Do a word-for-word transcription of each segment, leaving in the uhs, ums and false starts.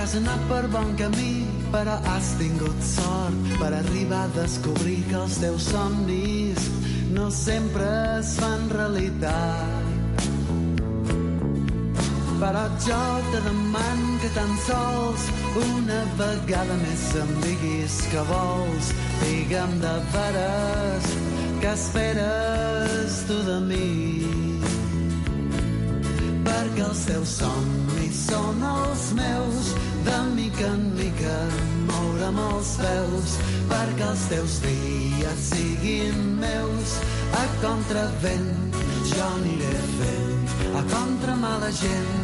has anat per bon camí, però has tingut sort per arribar a descobrir que els teus somnis no sempre es fan realitat. Però jo te deman que tan sols una vegada més em diguis que vols. Digue'm de veres què esperes tu de mi, perquè els teus somnis són els meus, de mica en mica moure'm els peus, perquè els teus dies siguin meus. A contravent jo aniré fent, a contra mala gent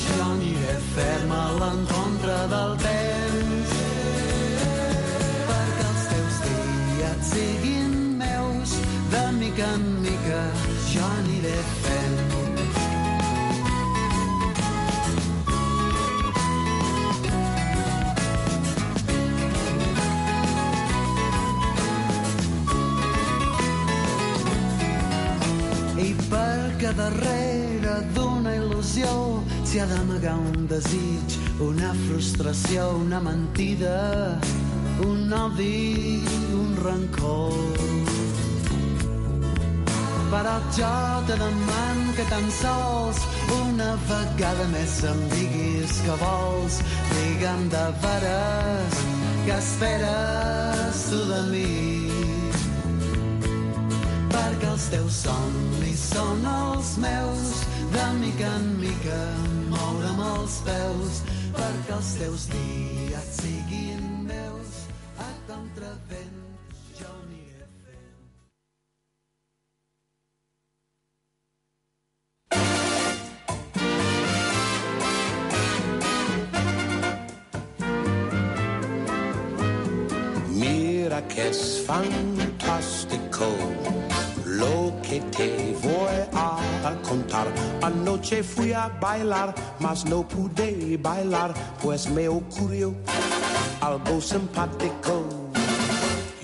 jo aniré ferma a l'encontre del temps, perquè els teus dies siguin meus, de mica en mica jo aniré fent. I perquè darrere d'una il·lusió s'hi ha d'amagar un desig, una frustració, una mentida, un odi, un rancor. Però jo te deman que tan sols una vegada més em diguis que vols. Digue'm de veres què esperes tu de mi, perquè els teus somnis són els meus, de mica en mica moure'm els peus, perquè els teus dies siguin meus, a contravent jo aniré fent. Mira que es fantástico lo que te voy a contar. Anoche fui a bailar, mas no pude bailar, pues me ocurrió algo simpático.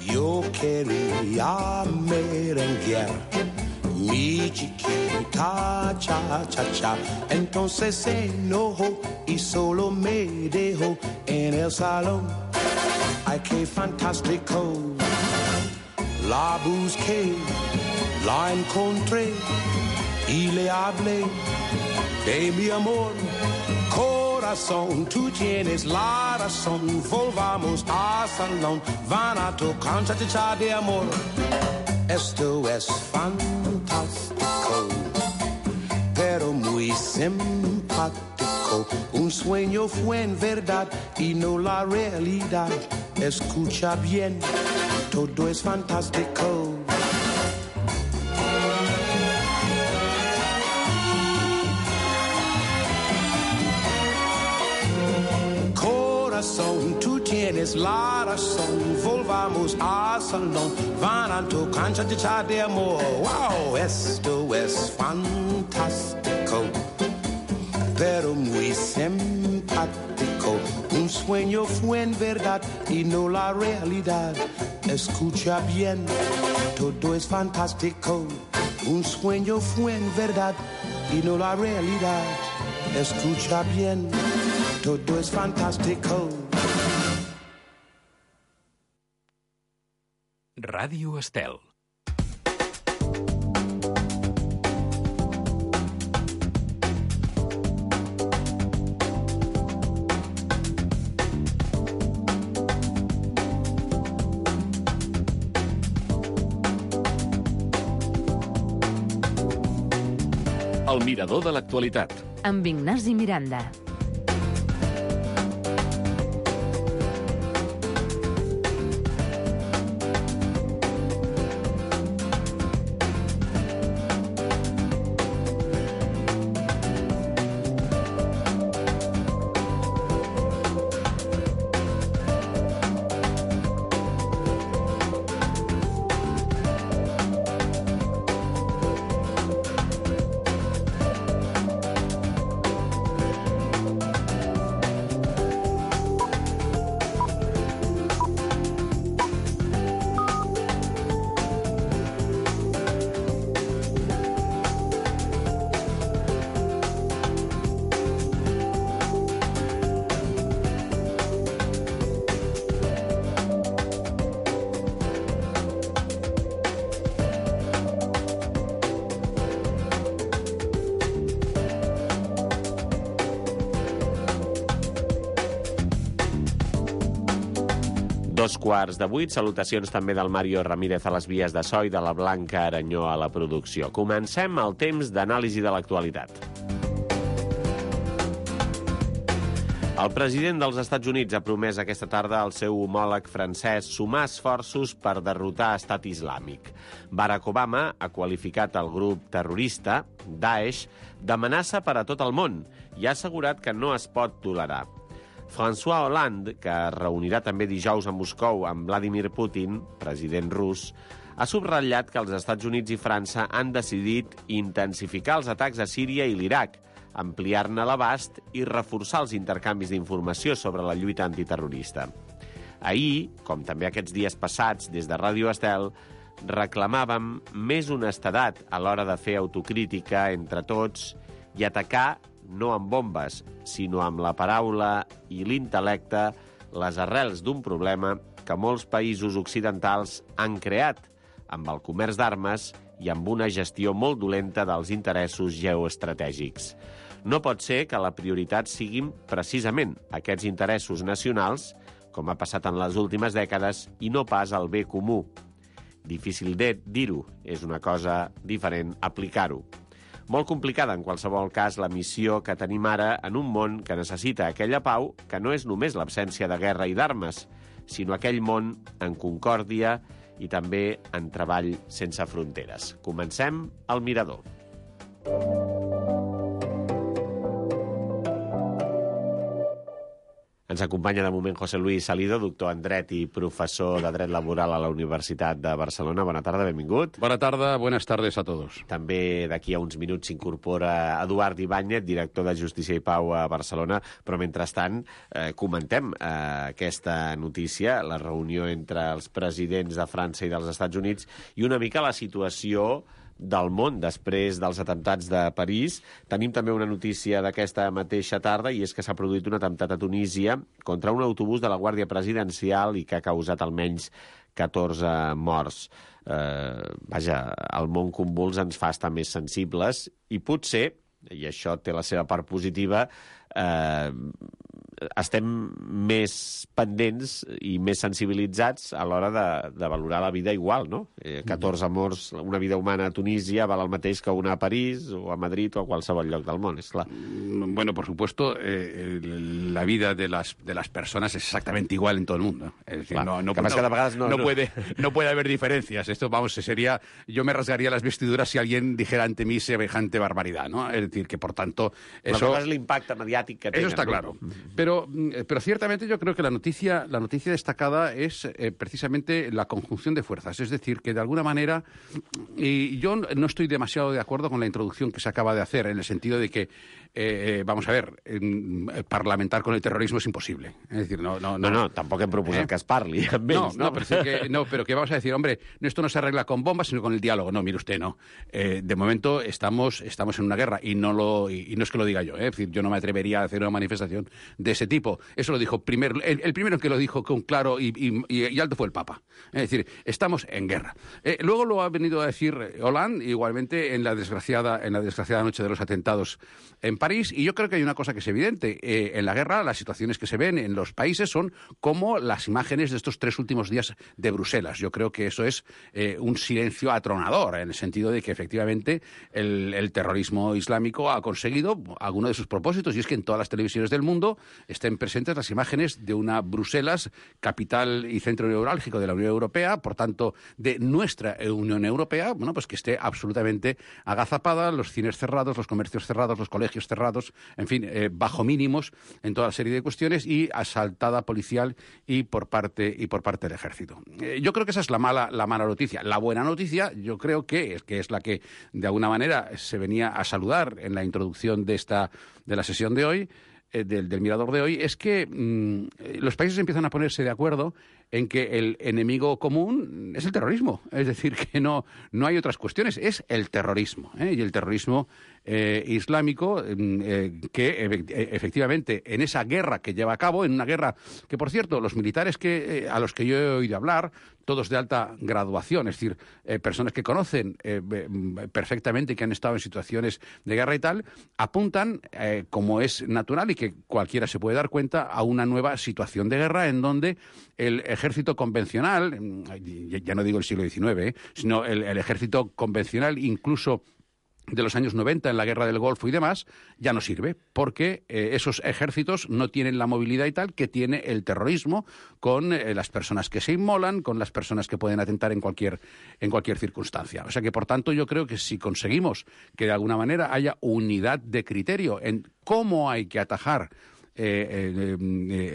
Yo quería merenguear mi chiquita cha cha cha. Entonces se enojó y solo me dejó en el salón. Ay, qué fantástico. La busqué, la encontré y le hablé de mi amor. Corazón, tú tienes la razón, volvamos al salón, van a tocar cha-cha-cha de amor. Esto es fantástico, pero muy simpático. Un sueño fue en verdad y no la realidad. Escucha bien, todo es fantástico. Corazón, tú tienes la razón, volvamos al salón, van a tocar cha-cha-cha de amor. Wow, esto es fantástico, pero muy simpático. Un sueño fue en verdad y no la realidad. Escucha bien, todo es fantástico. Un sueño fue en verdad y no la realidad. Escucha bien, todo es fantástico. Ràdio Estel. El mirador de l'actualitat. Amb Ignasi Miranda. Dos quarts de vuit, salutacions també del Mario Ramírez a les vies de so i de la Blanca Aranyó a la producció. Comencem el temps d'anàlisi de l'actualitat. El president dels Estats Units ha promès aquesta tarda al seu homòleg francès sumar esforços per derrotar Estat Islàmic. Barack Obama ha qualificat el grup terrorista, Daesh, d'amenaça per a tot el món i ha assegurat que no es pot tolerar. François Hollande, que es reunirà també dijous a Moscou amb Vladimir Putin, president rus, ha subratllat que els Estats Units i França han decidit intensificar els atacs a Síria i l'Iraq, ampliar-ne l'abast i reforçar els intercanvis d'informació sobre la lluita antiterrorista. Ahir, com també aquests dies passats, des de Ràdio Estel, reclamàvem més honestedat a l'hora de fer autocrítica entre tots i atacar no amb bombes, sinó amb la paraula i l'intel·lecte, les arrels d'un problema que molts països occidentals han creat, amb el comerç d'armes i amb una gestió molt dolenta dels interessos geoestratègics. No pot ser que la prioritat siguin precisament aquests interessos nacionals, com ha passat en les últimes dècades, i no pas el bé comú. Difícil de dir-ho, és una cosa diferent aplicar-ho. Molt complicada, en qualsevol cas, la missió que tenim ara en un món que necessita aquella pau que no és només l'absència de guerra i d'armes, sinó aquell món en concòrdia i també en treball sense fronteres. Comencem al Mirador. Ens acompanya de moment José Luis Salido, doctor en dret i professor de dret laboral a la Universitat de Barcelona. Bona tarda, benvingut. Bona tarda, buenas tardes a todos. També d'aquí a uns minuts s'incorpora Eduard Ibáñez, director de Justícia i Pau a Barcelona, però mentrestant eh, comentem eh, aquesta notícia, la reunió entre els presidents de França i dels Estats Units i una mica la situació del món després dels atemptats de París. Tenim també una notícia d'aquesta mateixa tarda i és que s'ha produït un atemptat a Tunísia contra un autobús de la Guàrdia Presidencial i que ha causat almenys catorze morts. Eh, vaja, el món convuls ens fa estar més sensibles i potser, i això té la seva part positiva, eh, estem més pendents i més sensibilitzats a l'hora de, de valorar la vida igual, no? Eh, catorze morts, una vida humana a Tunísia val el mateix que una a París o a Madrid o a qualsevol lloc del món, és clar. Bueno, por supuesto, eh, la vida de las, de las personas es exactamente igual en todo el mundo. Es decir, clar, no, no, que no, cada vegada no, no, no. Puede, no puede haber diferencias. Esto, vamos, sería... Yo me rasgaría las vestiduras si alguien dijera ante mí semejante barbaridad, ¿no? Es decir, que por tanto... Eso es el impacto mediático que tiene. Eso está claro. ¿No? Pero Pero, pero ciertamente yo creo que la noticia, la noticia destacada es eh, precisamente la conjunción de fuerzas. Es decir, que de alguna manera, y yo no estoy demasiado de acuerdo con la introducción que se acaba de hacer, en el sentido de que, eh, vamos a ver, eh, parlamentar con el terrorismo es imposible. Es decir, no... No, no, no, no tampoco hem proposat eh? que es parli amb ells, no? No, no, pero, sí que, no, pero que vamos a decir, hombre, esto no se arregla con bombas, sino con el diálogo. No, mire usted, no. Eh, de momento estamos, estamos en una guerra y no, lo, y, y no es que lo diga yo. Eh, es decir, yo no me atrevería a hacer una manifestación de ese tipo. Eso lo dijo primero, el, el primero que lo dijo con claro y, y, y alto fue el Papa. Es decir, estamos en guerra. Eh, luego lo ha venido a decir Hollande, igualmente en la desgraciada, en la desgraciada noche de los atentados en París, y yo creo que hay una cosa que es evidente. Eh, en la guerra, las situaciones que se ven en los países son como las imágenes de estos tres últimos días de Bruselas. Yo creo que eso es eh, un silencio atronador, en el sentido de que efectivamente el, el terrorismo islámico ha conseguido alguno de sus propósitos, y es que en todas las televisiones del mundo estén presentes las imágenes de una Bruselas, capital y centro neurálgico de la Unión Europea, por tanto, de nuestra Unión Europea, bueno, pues que esté absolutamente agazapada, los cines cerrados, los comercios cerrados, los colegios cerrados, en fin, eh, bajo mínimos en toda la serie de cuestiones, y asaltada policial y por parte y por parte del ejército. Eh, yo creo que esa es la mala la mala noticia. La buena noticia, yo creo que es que es la que de alguna manera se venía a saludar en la introducción de esta de la sesión de hoy. Del, del Mirador de hoy, es que mmm, los países empiezan a ponerse de acuerdo en que el enemigo común es el terrorismo. Es decir, que no, no hay otras cuestiones, es el terrorismo. ¿eh? Y el terrorismo eh, islámico eh, que e- efectivamente en esa guerra que lleva a cabo, en una guerra que, por cierto, los militares que eh, a los que yo he oído hablar, todos de alta graduación, es decir, eh, personas que conocen eh, perfectamente, que han estado en situaciones de guerra y tal, apuntan, eh, como es natural y que cualquiera se puede dar cuenta, a una nueva situación de guerra en donde el ejército ejército convencional, ya no digo el siglo diecinueve, ¿eh? sino el, el ejército convencional, incluso de los años noventa en la guerra del Golfo y demás, ya no sirve, porque eh, esos ejércitos no tienen la movilidad y tal que tiene el terrorismo, con eh, las personas que se inmolan, con las personas que pueden atentar en cualquier, en cualquier circunstancia. O sea que, por tanto, yo creo que si conseguimos que de alguna manera haya unidad de criterio en cómo hay que atajar Eh, eh,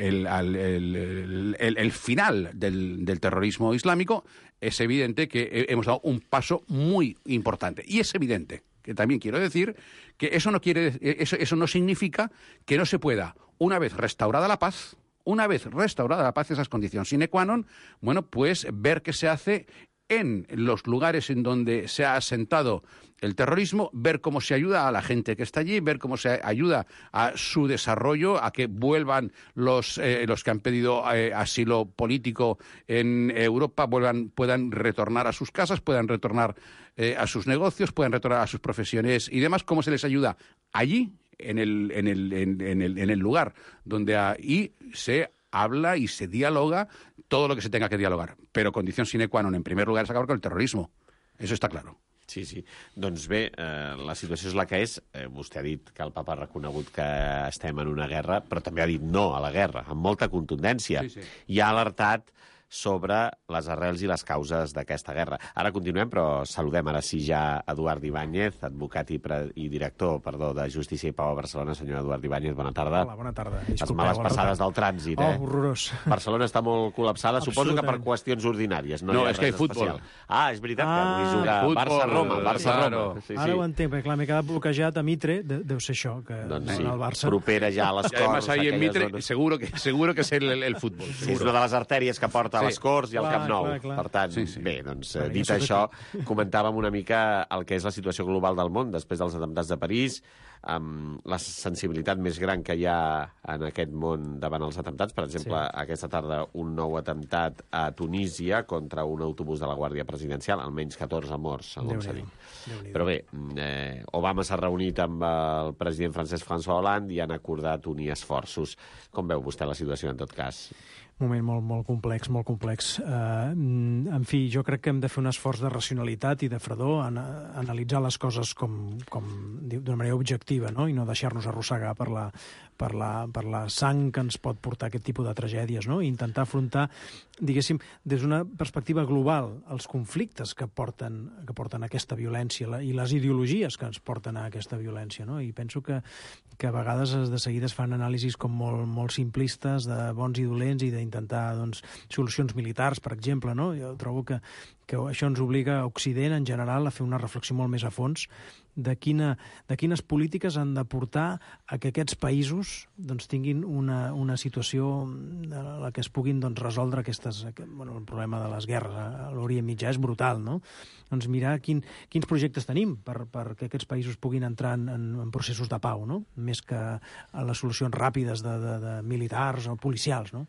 el, el, el, el, el final del, del terrorismo islámico, es evidente que hemos dado un paso muy importante. Y es evidente que también quiero decir que eso no quiere, eso, eso no significa que no se pueda, una vez restaurada la paz, una vez restaurada la paz, esas condiciones sine qua non, bueno, pues ver qué se hace en los lugares en donde se ha asentado el terrorismo, ver cómo se ayuda a la gente que está allí, ver cómo se ayuda a su desarrollo, a que vuelvan los, eh, los que han pedido eh, asilo político en Europa, vuelvan, puedan retornar a sus casas, puedan retornar eh, a sus negocios, puedan retornar a sus profesiones y demás, cómo se les ayuda allí, en el, en el, en, en el, en el lugar donde ahí se habla y se dialoga todo lo que se tenga que dialogar. Però condició sine qua non, en primer lugar, és acabar con el terrorismo. Eso está claro. Sí, sí. Doncs bé, eh, la situació és la que és. Eh, vostè ha dit que el papa ha reconegut que estem en una guerra, però també ha dit no a la guerra, amb molta contundència. Sí, sí. I ha alertat sobre les arrels i les causes d'aquesta guerra. Ara continuem, però saludem ara sí ja Eduard Ibáñez, advocat i, pre i director perdó, de Justícia i Pau a Barcelona. Senyor Eduard Ibáñez, bona tarda. Hola, bona tarda. Les males passades del trànsit, eh? Oh, horrorós. Barcelona està molt col·lapsada, suposo que per qüestions ordinàries. No, no és que hi ha futbol. Ah, és veritat que avui ah, juga Barça-Roma. Barça-Roma. Claro. Sí, sí. Ara ho entenc, perquè clar, m'he quedat bloquejat a Mitre, de, deu ser això, que doncs sí, el Barça... propera ja a les Corts. Además, ahí en Mitre, zones... seguro que, seguro que és el, el futbol. Sí, és una de les artèries que porta a les Corts i al Camp Nou. Clar, clar. Per tant, sí, sí. bé, doncs, clar, dit això, comentàvem una mica el que és la situació global del món després dels atemptats de París, amb la sensibilitat més gran que hi ha en aquest món davant els atemptats. Per exemple, sí. aquesta tarda un nou atemptat a Tunísia contra un autobús de la Guàrdia Presidencial, almenys catorze morts, segons s'ha dit. Però bé, eh, Obama s'ha reunit amb el president francès François Hollande i han acordat unir esforços. Com veu vostè la situació, en tot cas? Un moment molt, molt complex, molt complex. Uh, en fi, jo crec que hem de fer un esforç de racionalitat i de fredor, en, analitzar les coses com, com d'una manera objectiva, no? I no deixar-nos arrossegar per la, per, la, per la sang que ens pot portar aquest tipus de tragèdies, no? I intentar afrontar, diguéssim, des d'una perspectiva global, els conflictes que porten, que porten aquesta violència la, i les ideologies que ens porten a aquesta violència, no? I penso que, que a vegades de seguida es fan anàlisis com molt, molt simplistes de bons i dolents i d'intentar doncs, solucions militars, per exemple, no? Jo trobo que, que això ens obliga a Occident, en general, a fer una reflexió molt més a fons de, quina, de quines polítiques han de portar a que aquests països doncs, tinguin una, una situació en la que es puguin doncs, resoldre aquestes, bueno, el problema de les guerres a l'Orient Mitjà és brutal, no? Doncs mirar quin, quins projectes tenim per, per que aquests països puguin entrar en, en, en processos de pau, no? Més que a les solucions ràpides de, de, de militars o policials, no?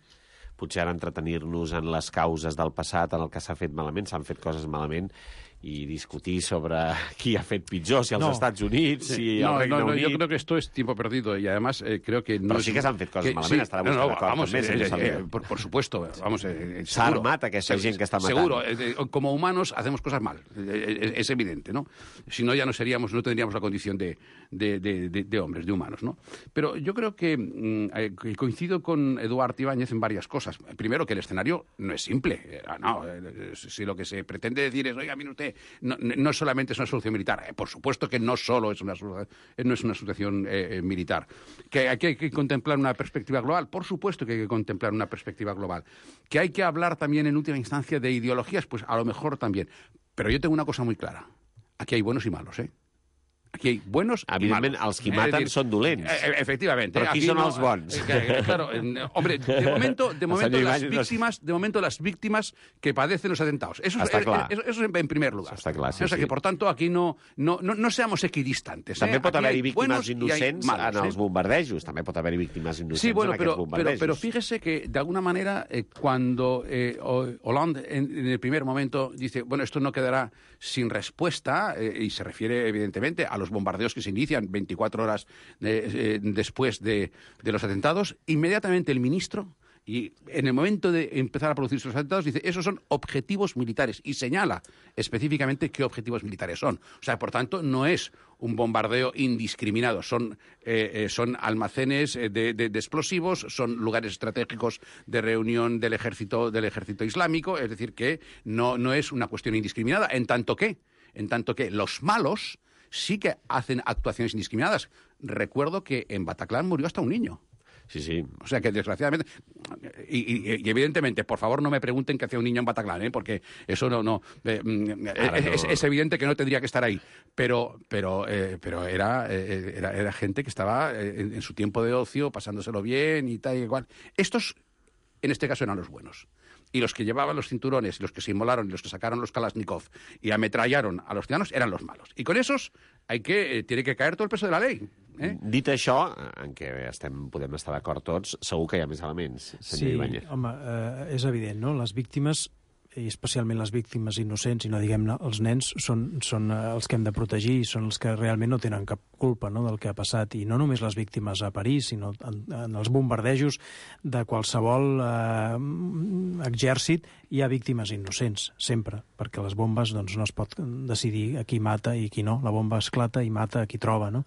Potser ara entretenir-nos en les causes del passat, en el que s'ha fet malament, s'han fet coses malament, y discutir sobre qui ha fet pitjor, si els no. Estats Units, si no, el Regne no, no, Unit... Yo creo que esto es tiempo perdido y además eh, creo que... No Però es... sí que s'han fet coses que, malament, sí, estarà no, vostè no, d'acord vamos, també, eh, eh, eh, por, por supuesto, vamos... Eh, S'ha armat aquesta gent que està matant. Seguro, eh, como humanos hacemos cosas mal, eh, es evidente, ¿no? Si no, ya no seríamos, no tendríamos la condición de, de, de, de, de hombres, de humanos, ¿no? Pero yo creo que eh, coincido con Eduard Ibáñez en varias cosas. Primero, que el escenario no es simple. Eh, no, eh, si lo que se pretende decir es, oiga, mire usted, no, no solamente es una solución militar. Eh, por supuesto que no solo es una, no es una situación eh, militar. Que hay, que hay que contemplar una perspectiva global. Por supuesto que hay que contemplar una perspectiva global. Que hay que hablar también en última instancia de ideologías, pues a lo mejor también. Pero yo tengo una cosa muy clara. Aquí hay buenos y malos, ¿eh? Aquí hay buenos Evidentment, y malos. els qui maten decir, són dolents. Eh, efectivamente. Però qui aquí són no, els bons? Eh, claro, eh, hombre, de momento, de momento las víctimas, de momento las víctimas que padecen los atentados. Eso, es, eh, eso, eso es en primer lugar. Està clar, sí, o sea sí. que, por tanto, aquí no, no, no, no seamos equidistantes. També eh? pot haver-hi Aquí víctimes innocents malos, en els ¿eh? bombardejos. També pot haver-hi víctimes innocents sí, bueno, en pero, aquests bombardejos. Pero, pero fíjese que, de alguna manera, eh, cuando eh, Hollande en, en el primer momento dice, bueno, esto no quedará sin respuesta, eh, y se refiere, evidentemente, a los bombardeos que se inician veinticuatro horas de, eh, después de, de los atentados, inmediatamente el ministro Y en el momento de empezar a producirse los atentados, dice, esos son objetivos militares. Y señala específicamente qué objetivos militares son. O sea, por tanto, no es un bombardeo indiscriminado. Son, eh, eh, son almacenes de, de, de explosivos, son lugares estratégicos de reunión del ejército, del ejército islámico. Es decir, que no, no es una cuestión indiscriminada. En tanto que, en tanto que los malos sí que hacen actuaciones indiscriminadas. Recuerdo que en Bataclan murió hasta un niño. Sí, sí. O sea que, desgraciadamente, y, y, y evidentemente, por favor, no me pregunten qué hacía un niño en Bataclan, ¿eh? Porque eso no... no, eh, es, no. Es, es evidente que no tendría que estar ahí, pero pero eh, pero era, eh, era, era gente que estaba en, en su tiempo de ocio, pasándoselo bien y tal y igual. Estos, en este caso, eran los buenos. Y los que llevaban los cinturones, y los que se inmolaron, y los que sacaron los Kalashnikov y ametrallaron a los ciudadanos, eran los malos. I con esos hay que, eh, tiene que caer todo el peso de la ley. Eh? Dit això, en què estem, podem estar d'acord tots, segur que hi ha més elements, senyor Sí, Ibáñez. home, eh, és evident, no? Les víctimes, i especialment les víctimes innocents, i no diguem-ne els nens, són, són els que hem de protegir, són els que realment no tenen cap culpa, no?, del que ha passat, i no només les víctimes a París, sinó en, en els bombardejos de qualsevol eh, exèrcit hi ha víctimes innocents, sempre, perquè les bombes doncs, no es pot decidir a qui mata i qui no, la bomba esclata i mata a qui troba, no?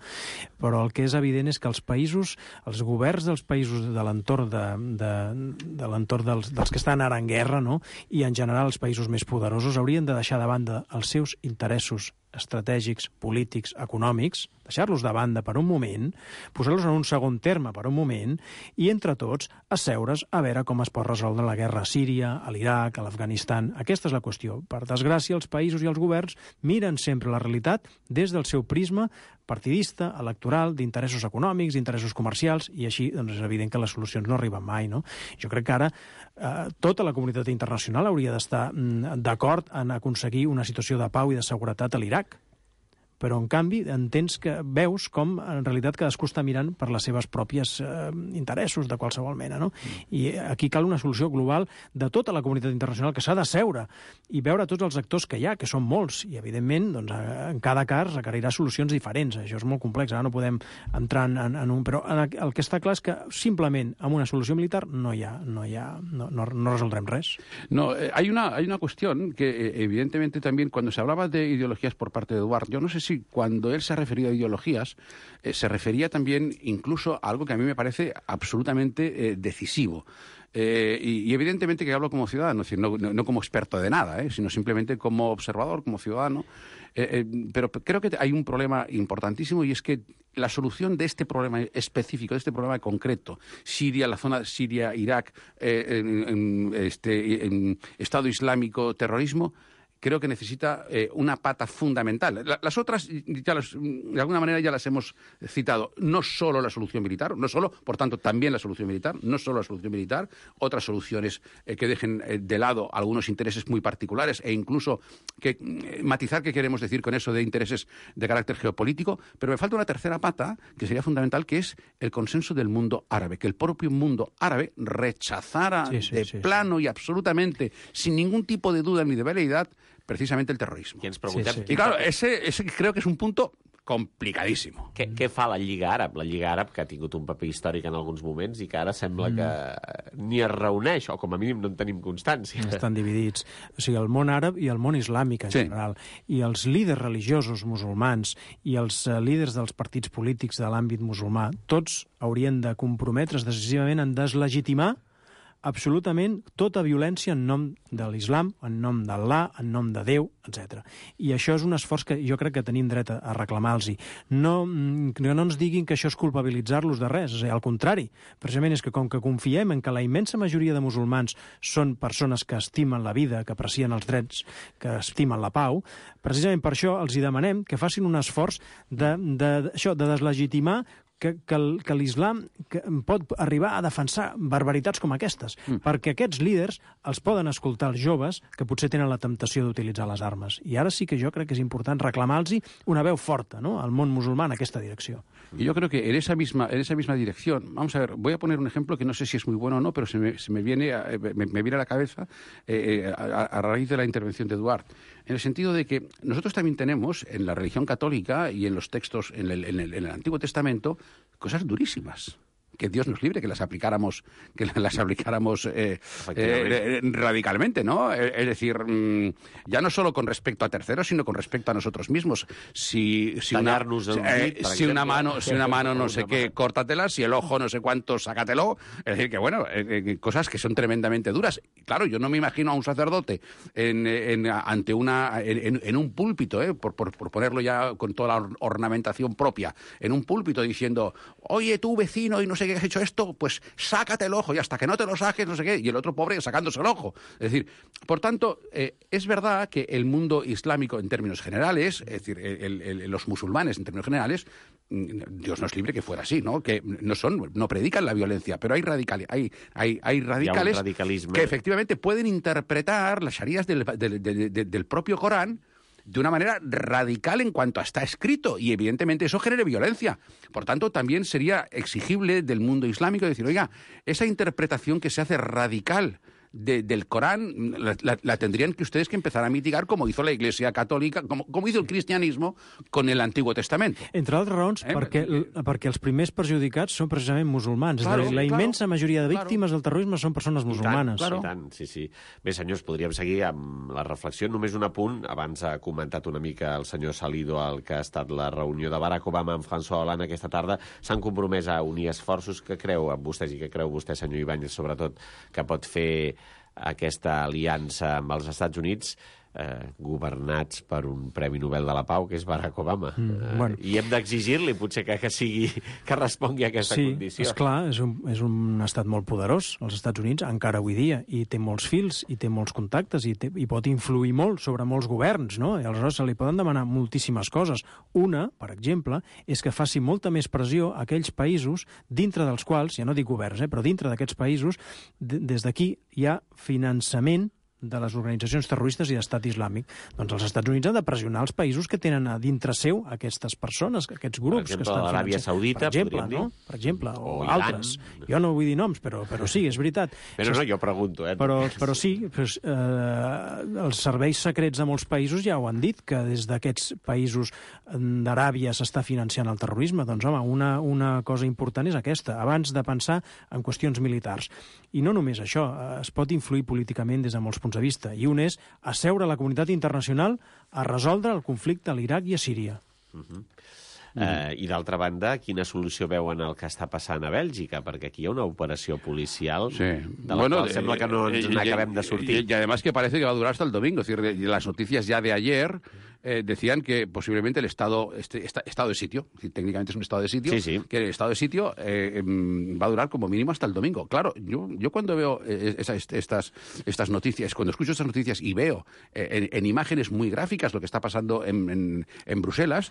Però el que és evident és que els països, els governs dels països de l'entorn de, de, de l'entorn dels, dels que estan ara en guerra, no?, i en general els països més poderosos haurien de deixar de banda els seus interessos estratègics, polítics, econòmics, deixar-los de banda per un moment, posar-los en un segon terme per un moment i, entre tots, asseure's a veure com es pot resoldre la guerra a Síria, a l'Iraq, a l'Afganistan. Aquesta és la qüestió. Per desgràcia, els països i els governs miren sempre la realitat des del seu prisma partidista, electoral, d'interessos econòmics, d'interessos comercials, i així doncs, és evident que les solucions no arriben mai, no? Jo crec que ara eh, tota la comunitat internacional hauria d'estar mm, d'acord en aconseguir una situació de pau i de seguretat a l'Iraq. Però, en canvi, entens que veus com, en realitat, cadascú està mirant per les seves pròpies eh, interessos de qualsevol mena, no? I aquí cal una solució global de tota la comunitat internacional que s'ha de seure i veure tots els actors que hi ha, que són molts, i, evidentment, doncs, en cada cas requerirà solucions diferents. Això és molt complex, ara no podem entrar en, en, en un... Però el que està clar és que, simplement, amb una solució militar no hi ha... No, hi ha, no, no, no resoldrem res. No, eh, hay, una, hay una cuestión que, eh, evidentemente, también, cuando se hablaba de ideologías por parte de Eduard, yo no sé si cuando él se ha referido a ideologías, eh, se refería también incluso a algo que a mí me parece absolutamente eh, decisivo. Eh, y, y evidentemente que hablo como ciudadano, es decir, no, no, no como experto de nada, eh, sino simplemente como observador, como ciudadano. Eh, eh, pero creo que hay un problema importantísimo y es que la solución de este problema específico, de este problema concreto, Siria, la zona de Siria, Irak, eh, en, en, este, en Estado Islámico, terrorismo, creo que necesita eh, una pata fundamental. La, las otras, ya las, de alguna manera, ya las hemos citado. No solo la solución militar, no solo, por tanto, también la solución militar, no solo la solución militar, otras soluciones eh, que dejen eh, de lado algunos intereses muy particulares e incluso que eh, matizar qué queremos decir con eso de intereses de carácter geopolítico. Pero me falta una tercera pata que sería fundamental, que es el consenso del mundo árabe, que el propio mundo árabe rechazara sí, sí, de sí, plano sí. y absolutamente, sin ningún tipo de duda ni de veleidad, precisamente el terrorismo. I ens preguntem... Sí, sí. Y claro, ese, ese creo que es un punto complicadísimo. Què, què fa la Lliga Àrab? La Lliga Àrab, que ha tingut un paper històric en alguns moments i que ara sembla que ni es reuneix, o com a mínim no en tenim constància. Estan dividits. O sigui, el món àrab i el món islàmic en Sí. general. I els líders religiosos musulmans i els eh, líders dels partits polítics de l'àmbit musulmà, tots haurien de comprometre's decisivament en deslegitimar absolutament tota violència en nom de l'islam, en nom d'Allah, en nom de Déu, etcètera. I això és un esforç que jo crec que tenim dret a reclamar-los. No, no ens diguin que això és culpabilitzar-los de res, és a dir, al contrari. Precisament és que com que confiem en que la immensa majoria de musulmans són persones que estimen la vida, que aprecien els drets, que estimen la pau, precisament per això els hi demanem que facin un esforç de, de, això, de deslegitimar que, que, que l'islam que pot arribar a defensar barbaritats com aquestes, mm. perquè aquests líders els poden escoltar els joves que potser tenen la temptació d'utilitzar les armes. I ara sí que jo crec que és important reclamar-los una veu forta, ¿no?, al món musulmà en aquesta direcció. Y yo creo que en esa misma en esa misma dirección, vamos a ver, voy a poner un ejemplo que no sé si es muy bueno o no, pero se me, se me viene a, me, me viene a la cabeza eh, a, a raíz de la intervención de Eduard, en el sentido de que nosotros también tenemos en la religión católica y en los textos, en el, en el, en el Antiguo Testamento, cosas durísimas. que Dios nos libre que las aplicáramos, que las aplicáramos eh, eh, radicalmente, ¿no? Es decir, mmm, ya no solo con respecto a terceros, sino con respecto a nosotros mismos. Si, si, una, eh, si una mano, si una mano no sé qué, córtatela, si el ojo no sé cuánto, sácatelo. Es decir, que bueno, eh, cosas que son tremendamente duras. Claro, yo no me imagino a un sacerdote en, en, ante una, en, en un púlpito, eh, por, por, por ponerlo ya con toda la ornamentación propia, en un púlpito diciendo, oye, tú vecino y no sé qué has hecho esto, pues sácate el ojo y hasta que no te lo saques, no sé qué, y el otro pobre sacándose el ojo. Es decir, por tanto, eh, es verdad que el mundo islámico en términos generales, es decir, el, el, el, los musulmanes en términos generales, Dios nos libre que fuera así, ¿no? Que no son, no predican la violencia, pero hay radicales, hay, hay, hay radicales que efectivamente pueden interpretar las sharías del, del, del, del, del propio Corán de una manera radical en cuanto a está escrito, y evidentemente eso genera violencia. Por tanto, también sería exigible del mundo islámico decir, oiga, esa interpretación que se hace radical De, del Corán la, la, la tendrían que ustedes que empezar a mitigar como hizo la Iglesia Católica, com, com hizo el cristianismo con el Antiguo Testamento. Entre altres raons, eh? perquè, perquè els primers perjudicats són precisament musulmans. Claro, la immensa claro, majoria de víctimes claro. del terrorisme són persones musulmanes. I tant, claro. i tant, sí, sí. Bé, senyors, podríem seguir amb la reflexió. Només un apunt. Abans ha comentat una mica el senyor Salido el que ha estat la reunió de Barack Obama amb François Hollande aquesta tarda. S'han compromès a unir esforços. Que creu amb vostès i que creu vostè, senyor Ibáñez, sobretot, que pot fer aquesta aliança amb els Estats Units, eh, governats per un Premi Nobel de la Pau, que és Barack Obama. Mm, eh, bueno. I hem d'exigir-li, potser, que, que sigui que respongui a aquesta sí, condició. Sí, esclar, és un, és un estat molt poderós, els Estats Units, encara avui dia, i té molts fils, i té molts contactes, i, té, i pot influir molt sobre molts governs, no? I aleshores se li poden demanar moltíssimes coses. Una, per exemple, és que faci molta més pressió a aquells països dintre dels quals, ja no dic governs, eh, però dintre d'aquests països, des d'aquí hi ha finançament de les organitzacions terroristes i d'estat islàmic. Doncs els Estats Units han de pressionar els països que tenen a dintre seu aquestes persones, aquests grups. Per exemple, que estan l'Aràbia Saudita, per exemple, podríem dir. No? Per exemple, o, o altres. Jo no vull dir noms, però, però sí, és veritat. Però no, jo pregunto. Eh? Però, però sí, doncs, eh, els serveis secrets de molts països ja ho han dit, que des d'aquests països d'Aràbia s'està financiant el terrorisme. Doncs, home, una, una cosa important és aquesta, abans de pensar en qüestions militars. I no només això, es pot influir políticament des de molts punts de vista, i un és asseure la comunitat internacional a resoldre el conflicte a l'Iraq i a Síria. Uh-huh. Mm. Uh, I d'altra banda, quina solució veuen el que està passant a Bèlgica? Perquè aquí hi ha una operació policial sí. de la bueno, cual sembla que no ens eh, n'acabem de sortir. Y, y además que parece que va a durar hasta el domingo. Es decir, las noticias ya de ayer eh, decían que posiblemente el estado, este, esta, estado de sitio, es decir, técnicamente es un estado de sitio, sí, sí. que el estado de sitio eh, va a durar como mínimo hasta el domingo. Claro, yo, yo cuando veo eh, esa, estas, estas noticias, cuando escucho estas noticias y veo eh, en, en imágenes muy gráficas lo que está pasando en, en, en Bruselas,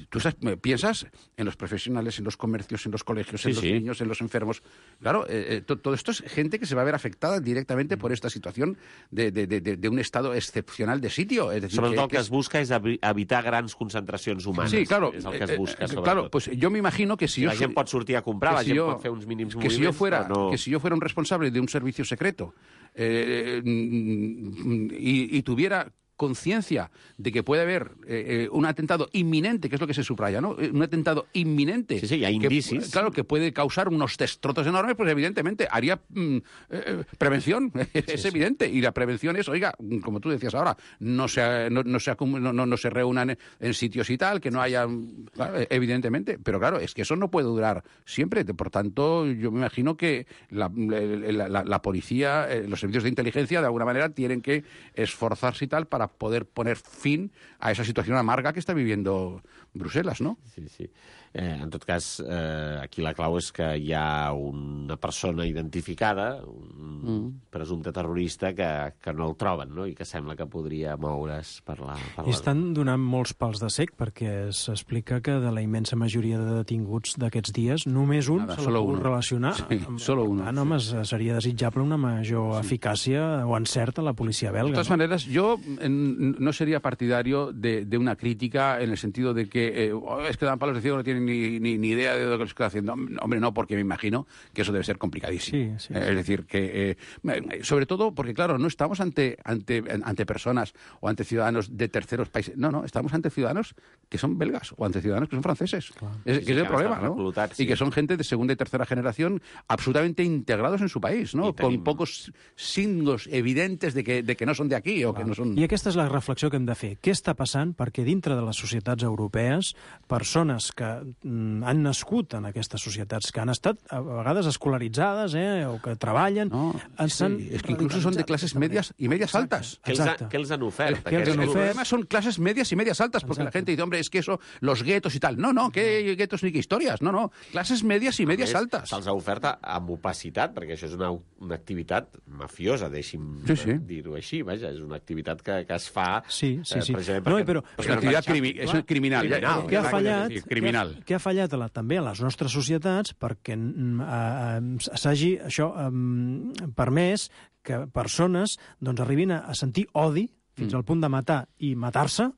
tú piensas en los profesionales, en los comercios, en los colegios, sí, en los sí. niños, en los enfermos. Claro, eh, to, todo esto es gente que se va a ver afectada directamente por esta situación de, de, de, de un estado excepcional de sitio. Es decir, sobretot que, el que es busca és evitar grans concentracions humanes. Sí, claro. És el que es busca, eh, claro, pues yo me imagino que si, si yo... La gent pot sortir a comprar, la si gent yo, pot fer uns mínims que moviments, si yo fuera, no... Que si yo fuera un responsable de un servicio secreto eh, y, y tuviera conciencia de que puede haber eh, un atentado inminente, que es lo que se subraya, ¿no? Un atentado inminente. Sí, sí, hay indicis. Que, claro, que puede causar unos destrozos enormes, pues evidentemente haría mm, eh, prevención, es sí, evidente. Sí. Y la prevención es, oiga, como tú decías ahora, no se, no, no se, no, no, no se reúnan en sitios y tal, que no haya... Claro, evidentemente. Pero claro, es que eso no puede durar siempre. Por tanto, yo me imagino que la, la, la, la policía, eh, los servicios de inteligencia, de alguna manera, tienen que esforzarse y tal para poder poner fin a esa situación amarga que está viviendo Bruselas, ¿no? Sí, sí. Eh, en tot cas, eh, aquí la clau és que hi ha una persona identificada, un mm. presumpte terrorista, que, que no el troben, no? I que sembla que podria moure's per la... Per I estan donant molts pals de cec, perquè s'explica que de la immensa majoria de detinguts d'aquests dies, només un Nada, se l'ha pogut relacionar. Sí, amb... solo uno. Ah, no, sí. Seria desitjable una major sí. eficàcia o encert a la policia belga. De todas ¿no? maneras, yo en, no sería partidario de, de una crítica en el sentido de que eh, es que dan palos de ciego, no tienen ni, ni, ni idea de lo que estoy haciendo. Hombre, no, porque me imagino que eso debe ser complicadísimo. Sí, sí, eh, sí. Es decir, que eh, sobre todo porque, claro, no estamos ante, ante, ante personas o ante ciudadanos de terceros países. No, no, estamos ante ciudadanos que son belgas o ante ciudadanos que son franceses. Claro. Es, Sí, que sí, es el que problema, estan ¿no? reclutats, sí. Y que son gente de segunda y tercera generación absolutamente integrados en su país, ¿no? I tenim- Con pocos signos evidentes de que, de que no son de aquí o que no són... I aquesta és la reflexió que hem de fer. Què està passant? Perquè dintre de les societats europees, persones que mm, han nascut en aquestes societats, que han estat a vegades escolaritzades, eh, o que treballen... No, ens sí, han es que incluso son de radicalitzat clases d'aquesta medias manera. y medias Exacte, altas. Què els, ha, exacte. què els han ofert? Què els han aquests El ofert? problema son clases medias y medias altas, porque la Exacto. gente dice, hombre, es que eso, los guetos y tal. No, no, ¿qué guetos ni qué historias? No, no, clases medias y medias A més, altas. Se'ls ha ofert amb opacitat, perquè això és una, una activitat mafiosa, deixi'm Sí, sí. eh, dir-ho així. Vaja, és una activitat que, que es fa Sí, sí, sí. precisament No, perquè, però- Es una actividad crimi- es una criminal. Criminal, ya- Què ha ya- fallat, decir, criminal. Què ha, què ha fallat a la, també a les nostres societats perquè mm, eh, eh, s'hagi això eh, permès que persones doncs, arribin a, a sentir odi fins Mm. al punt de matar i matar-se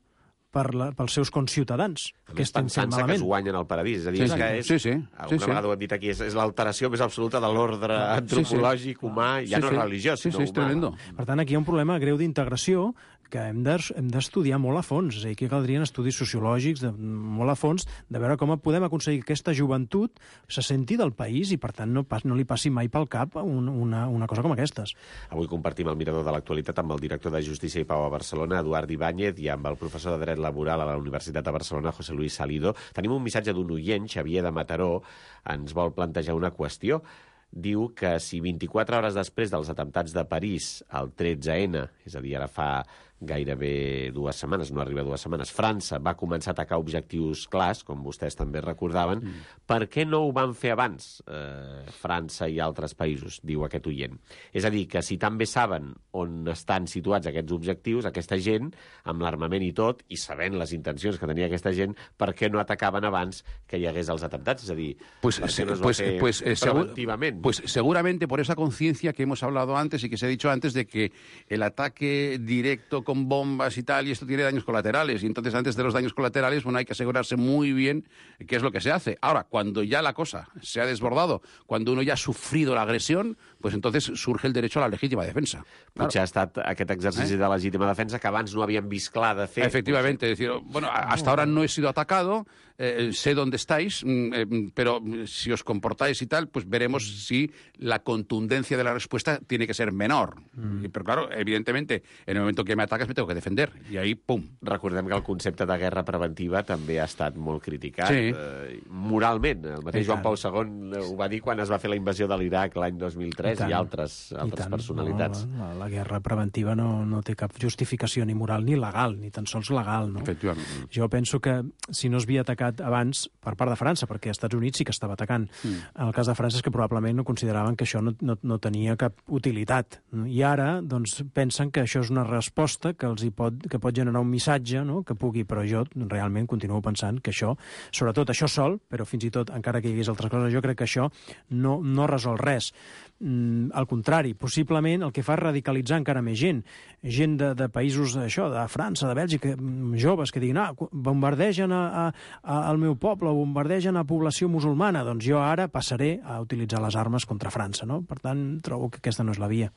per la, pels seus conciutadans, A que més, estan fent pensant-se que malament. es guanyen al paradís. És a dir, Sí, és que sí. és, Sí, sí. alguna Sí, sí. vegada ho hem dit aquí, és, és l'alteració més absoluta de l'ordre Sí, sí. antropològic humà, ja Sí, no sí. religiós, Sí, sinó sí, és humà. tremendo. Per tant, aquí hi ha un problema greu d'integració que hem de- hem d'estudiar molt a fons. És a dir, aquí caldrien estudis sociològics de, molt a fons de veure com podem aconseguir que aquesta joventut se senti del país i, per tant, no, pas, no li passi mai pel cap un, una, una cosa com aquestes. Avui compartim el mirador de l'actualitat amb el director de Justícia i Pau a Barcelona, Eduard Ibáñez, i amb el professor de Dret Laboral a la Universitat de Barcelona, José Luis Salido. Tenim un missatge d'un oient, Xavier de Mataró, ens vol plantejar una qüestió. Diu que si vint-i-quatre hores després dels atemptats de París, el tretze ene, és a dir, ara fa gairebé dues setmanes, no arriba a dues setmanes, França va començar a atacar objectius clars, com vostès també recordaven, mm. per què no ho van fer abans eh, França i altres països, diu aquest oient. És a dir, que si tan bé saben on estan situats aquests objectius, aquesta gent, amb l'armament i tot, i sabent les intencions que tenia aquesta gent, per què no atacaven abans que hi hagués els atemptats? És a dir, Pues, per què no es va pues, fer pues, eh, segu- preventivament? pues seguramente por esa conciencia que hemos hablado antes y que se ha dicho antes de que el ataque directo con bombas y tal, y esto tiene daños colaterales, y entonces antes de los daños colaterales, bueno, hay que asegurarse muy bien qué es lo que se hace. Ahora, cuando ya la cosa se ha desbordado, cuando uno ya ha sufrido la agresión, pues entonces surge el derecho a la legítima defensa. Claro. Potser ha estat aquest exercici Eh? de legítima defensa que abans no havien vist clar de fer. Efectivamente, es decir, bueno, a- hasta ahora no he sido atacado, eh, sé dónde estáis, mm, eh, pero si os comportáis y tal, pues veremos si la contundencia de la respuesta tiene que ser menor. Y- Pero claro, evidentemente, en el momento que me atacas me tengo que defender. Y ahí, pum. Recordem que el concepte de guerra preventiva també ha estat molt criticat Sí. eh, moralment. El mateix I Joan tant. Pau segon ho va dir quan es va fer la invasió de l'Iraq l'any dos mil tres i, tant. i altres, I altres tant. personalitats. No, la, la guerra preventiva no, no té cap justificació ni moral ni legal, ni tan sols legal. No? Efectivamente. Jo penso que si no es havia atacat abans per part de França, perquè als Estats Units sí que estava atacant. Mm. En el cas de França és que probablement no consideraven que això no, no, no tenia cap utilitat. I ara doncs, pensen que això és una resposta que els hi pot, que pot generar un missatge, no? Que pugui, però jo realment continuo pensant que això, sobretot això sol, però fins i tot, encara que hi hagués altres coses, jo crec que això no, no resol res. Mm, al contrari, possiblement el que fa és radicalitzar encara més gent. Gent de, de països, això, de França, de Bèlgica, mm, joves que diguin, ah, bombardegen a, a, a, al meu poble, bombardegen a població musulmana, doncs jo ara passaré a utilitzar les armes contra França, no? Per tant, trobo que aquesta no és la via.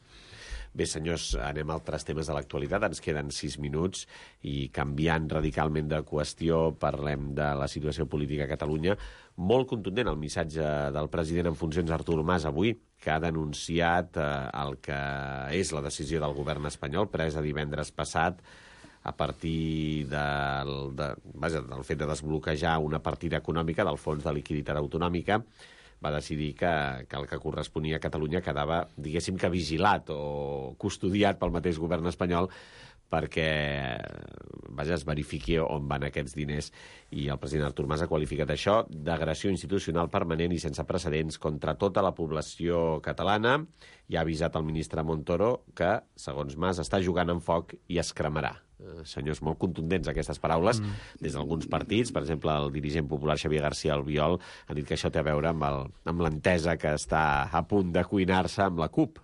Bé, senyors, anem a altres temes de l'actualitat. Ens queden sis minuts i canviant radicalment de qüestió parlem de la situació política a Catalunya. Molt contundent el missatge del president en funcions Artur Mas avui, que ha denunciat eh, el que és la decisió del govern espanyol presa divendres passat a partir del, de, vaja, del fet de desbloquejar una partida econòmica del Fons de Liquiditat Autonòmica. Va decidir que, que el que corresponia a Catalunya quedava, diguéssim que vigilat o custodiat pel mateix govern espanyol perquè vaja, es verifiqui on van aquests diners. I el president Artur Mas ha qualificat això d'agressió institucional permanent i sense precedents contra tota la població catalana i ha avisat el ministre Montoro que, segons Mas, està jugant amb foc i es cremarà. Eh, senyors, molt contundents aquestes paraules mm. des d'alguns partits. Per exemple, el dirigent popular Xavier García Albiol ha dit que això té a veure amb, el, amb l'entesa que està a punt de cuinar-se amb la CUP.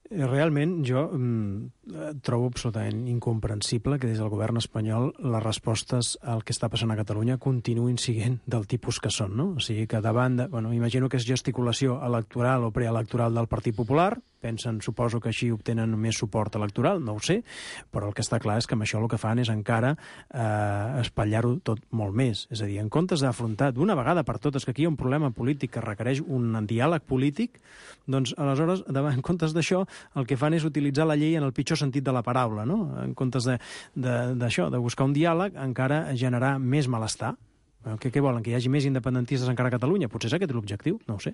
Realment, jo mm, trobo absolutament incomprensible que des del govern espanyol les respostes al que està passant a Catalunya continuïn siguent del tipus que són, no? O sigui que davant de... Bueno, imagino que és gesticulació electoral o preelectoral del Partit Popular, pensen, suposo que així obtenen més suport electoral, no ho sé, però el que està clar és que amb això el que fan és encara eh, espatllar-ho tot molt més. És a dir, en comptes d'afrontar d'una vegada per totes que aquí hi ha un problema polític que requereix un diàleg polític, doncs aleshores, en comptes d'això, el que fan és utilitzar la llei en el pitjor sentit de la paraula, no? En comptes d'això, de, de, de buscar un diàleg, encara generar més malestar. ¿Qué, ¿Qué volen? ¿Que hi hagi més independentistes encara a Catalunya? Potser és aquest l'objectiu, no ho sé.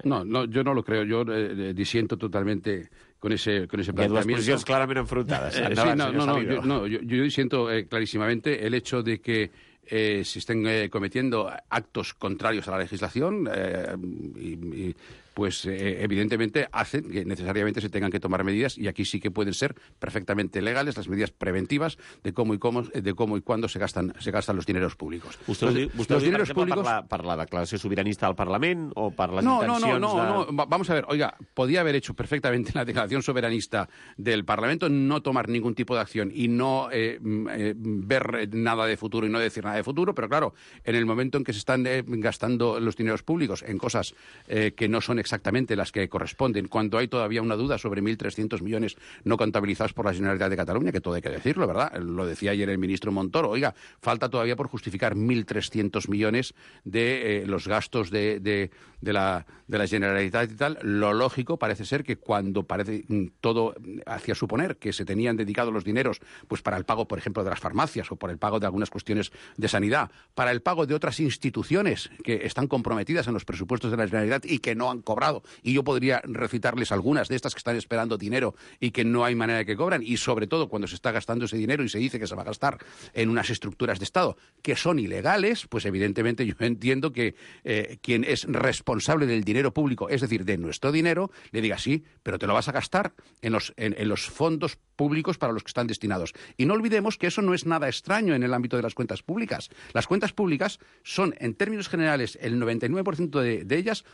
No, no, yo no lo creo. Yo eh, disiento totalmente con ese, con ese planteamiento. Hay dos posiciones claramente enfrentadas. Eh, sí, no, no, no, yo, no, yo, yo disiento eh, clarísimamente el hecho de que eh, se estén eh, cometiendo actos contrarios a la legislación eh, y, y pues eh, evidentemente hacen que necesariamente se tengan que tomar medidas, y aquí sí que pueden ser perfectamente legales las medidas preventivas de cómo y cómo de cómo y cuándo se gastan se gastan los dineros públicos. Vostè los, vostè los dineros per públicos per la, per la declaració sobiranista del Parlament o per les no, intencions no, no, no, de... no, vamos a ver, oiga, podía haber hecho perfectamente la declaración soberanista del Parlamento, no tomar ningún tipo de acción y no eh, eh, ver nada de futuro y no decir nada de futuro, pero claro, en el momento en que se están eh, gastando los dineros públicos en cosas eh, que no son exactamente las que corresponden, cuando hay todavía una duda sobre mil trescientos millones no contabilizados por la Generalitat de Cataluña, que todo hay que decirlo, ¿verdad? Lo decía ayer el ministro Montoro. Oiga, falta todavía por justificar mil trescientos millones de eh, los gastos de, de, de, la, de la Generalitat y tal. Lo lógico parece ser que cuando parece todo hacía suponer que se tenían dedicado los dineros pues para el pago, por ejemplo, de las farmacias o por el pago de algunas cuestiones de sanidad, para el pago de otras instituciones que están comprometidas en los presupuestos de la Generalitat y que no han cobrado, y yo podría recitarles algunas de estas que están esperando dinero y que no hay manera de que cobran, y sobre todo cuando se está gastando ese dinero y se dice que se va a gastar en unas estructuras de Estado que son ilegales, pues evidentemente yo entiendo que eh, quien es responsable del dinero público, es decir, de nuestro dinero, le diga sí, pero te lo vas a gastar en los, en, en los fondos públicos para los que están destinados. Y no olvidemos que eso no es nada extraño en el ámbito de las cuentas públicas. Las cuentas públicas son, en términos generales, el noventa y nueve por ciento de, de ellas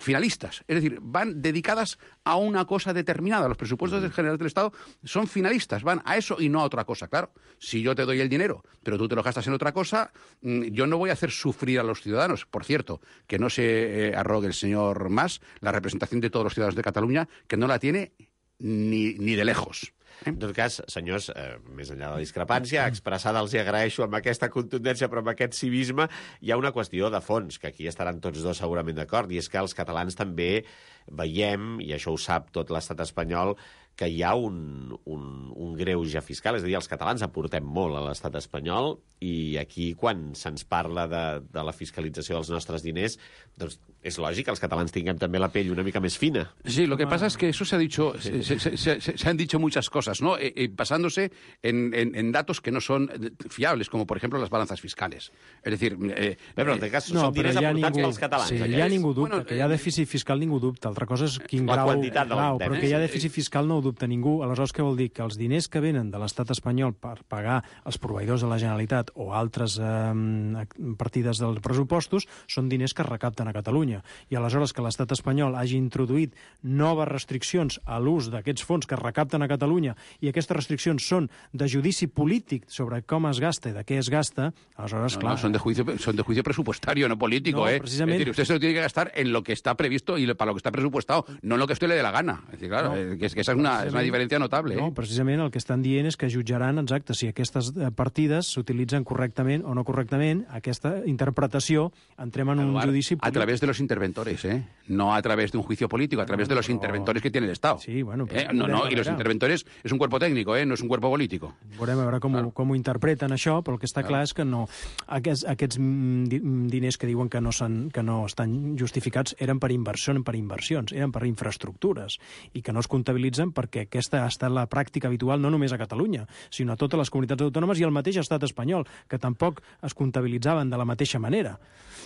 finalistas, es decir, van dedicadas a una cosa determinada. Los presupuestos del General del Estado son finalistas, van a eso y no a otra cosa. Claro, si yo te doy el dinero, pero tú te lo gastas en otra cosa, yo no voy a hacer sufrir a los ciudadanos. Por cierto, que no se eh, arrogue el señor Mas la representación de todos los ciudadanos de Catalunya, que no la tiene ni, ni de lejos. En tot cas, senyors, eh, més enllà de la discrepància, expressada els hi agraeixo amb aquesta contundència, però amb aquest civisme hi ha una qüestió de fons, que aquí estaran tots dos segurament d'acord, i és que els catalans també veiem, i això ho sap tot l'estat espanyol, que hi ha un, un, un greuge fiscal, és a dir, els catalans aportem molt a l'estat espanyol, i aquí, quan se'ns parla de, de la fiscalització dels nostres diners, doncs és lògic que els catalans tinguem també la pell una mica més fina. Sí, lo que pasa es que eso se ha dicho, se, se, se, se, se han dicho muchas cosas, ¿no? Eh, eh, basándose en, en, en datos que no son fiables, como por ejemplo las balanzas fiscales. Es decir... Eh, però en aquest cas no, són diners aportats ningú, pels catalans. Sí, ja ningú dubta, bueno, que hi ha dèficit fiscal ningú dubta. Altra cosa és quin la grau... quantitat de grau l'entén, però eh? que hi ha dèficit fiscal no ho dubta ningú. Aleshores, què vol dir? Que els diners que venen de l'estat espanyol per pagar els proveïdors de la Generalitat o altres eh, partides dels pressupostos són diners que es recapten a Catalunya. I aleshores que l'estat espanyol hagi introduït noves restriccions a l'ús d'aquests fons que es recapten a Catalunya, i aquestes restriccions són de judici polític sobre com es gasta i de què es gasta, aleshores, no, clar... No, son de juicio, son de juicio presupuestario, no político, no, ¿eh? Precisament... Es decir, usted se lo tiene que gastar en lo que está previsto y para lo que está presupuestado, no en lo que a usted le dé la gana. Es decir, claro, no, que, es, que esa es una, es una diferencia notable. No, eh? precisament el que estan dient és que jutjaran, exacte, si aquestes partides s'utilitzen correctament o no correctament, aquesta interpretació, entrem en un Eduard, judici polític. A través de los interventores, ¿eh? No a través de un juicio político, a través de los Però... interventores que tiene el Estado. Sí, bueno... Eh? No, no, y los interventores es un cuerpo técnico, ¿eh? No es un cuerpo político. Veurem a veure com, claro. ho, com ho interpreten això, però el que està claro. clar és que no. Aquests, aquests diners que diuen que no, que no estan justificats eren per inversió, per inversions, eren per infraestructures, i que no es comptabilitzen perquè aquesta ha estat la pràctica habitual no només a Catalunya, sinó a totes les comunitats autònomes i al mateix estat espanyol, que tampoc es comptabilitzaven de la mateixa manera.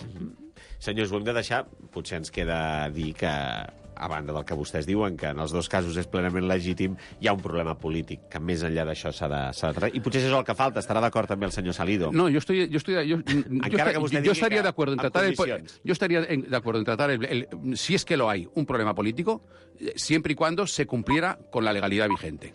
Mm-hmm. Senyors, ho hem de deixar. Potser ens queda dir que a banda del que vostès diuen, que en els dos casos és plenament legítim, hi ha un problema polític, que més enllà d'això s'ha de, s'ha de... I potser això és el que falta, estarà d'acord també el senyor Salido. No, yo estoy... Yo, estoy, yo, Encara yo, que vostè yo digui estaría que de acuerdo en amb tratar el, condicions. yo estaría en- de acuerdo en tratar el, el- si es que lo hay, un problema político, eh, siempre y cuando se cumpliera con la legalidad vigente.